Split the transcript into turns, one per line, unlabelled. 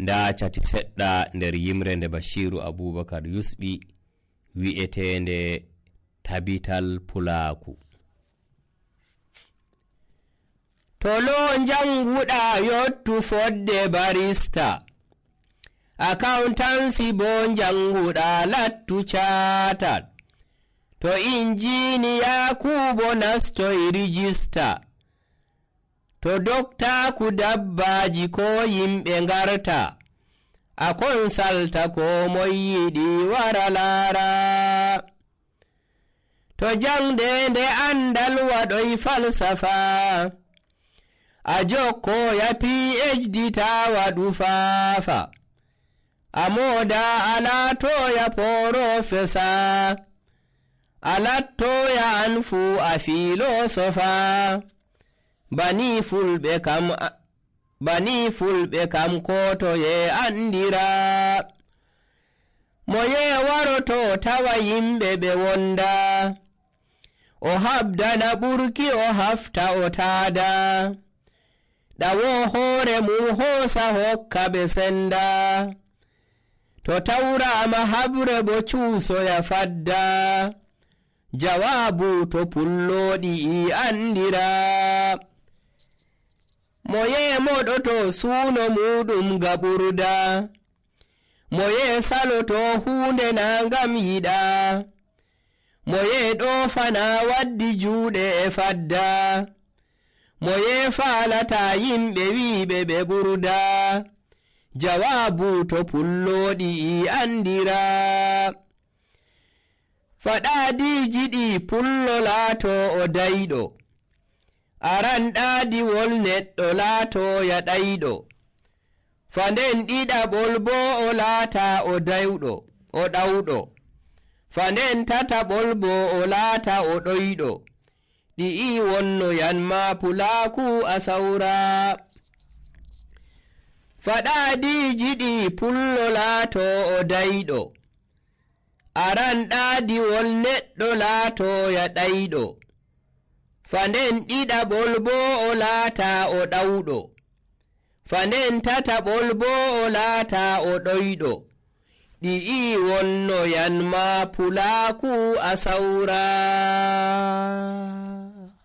nda cati seɗɗa nder yimre nde Bashiru Abubakar yusɓi wi'etende tabital pulaku. Tolo janguɗa yottu fodde barista, accountancy bo janguɗa lattu chatat, to injiniya kubo nastoy rijista, to dokta ku dabbaji ko yimɓe ngarta, a konsalta ko moy yiɗi wara laara, to jangde nde andal waɗoy falsafa, a jokkoya PhD ta waɗu faafa, a moda a latoya porofesa, a lattoya an fu a filosofa, bani fulɓe kam kotoye andira, moye waroto tawa yimɓe ɓe wonda, o habdana ɓurki o hafta o taada, ɗawo hoore mum hoosa hokka ɓe senda, to tawrama habre bo cuusoya fadda, jawabu to pulloɗi i andira, moye moɗoto suuno muɗum gaɓurda, moye saloto hunde na ngam yiɗa, moye ɗofana waddi juuɗe e fadda, moye faalata yimɓe wiɓe ɓe ɓurda, jawabu to pulloɗi i andira, faɗaɗiji ɗi pullo laato o dayɗo, aran ɗaadiwol neɗɗo laatoya ɗayɗo, fanden ɗiɗaɓol bo o laata o ɗawɗo, fanden tataɓol bo o laata o ɗoyɗo, ɗi'i wonnoyan ma pulaku a sawra, faɗaɗiji ɗi pullo laato o dayɗo, aran ɗaadiwol neɗɗo laatoya ɗayɗo, fanden ɗiɗaɓol bo o laata o ɗawɗo, fanden tataɓol bo o laata o ɗoyɗo, ɗi'i wonnoyan ma pulaku a sawra.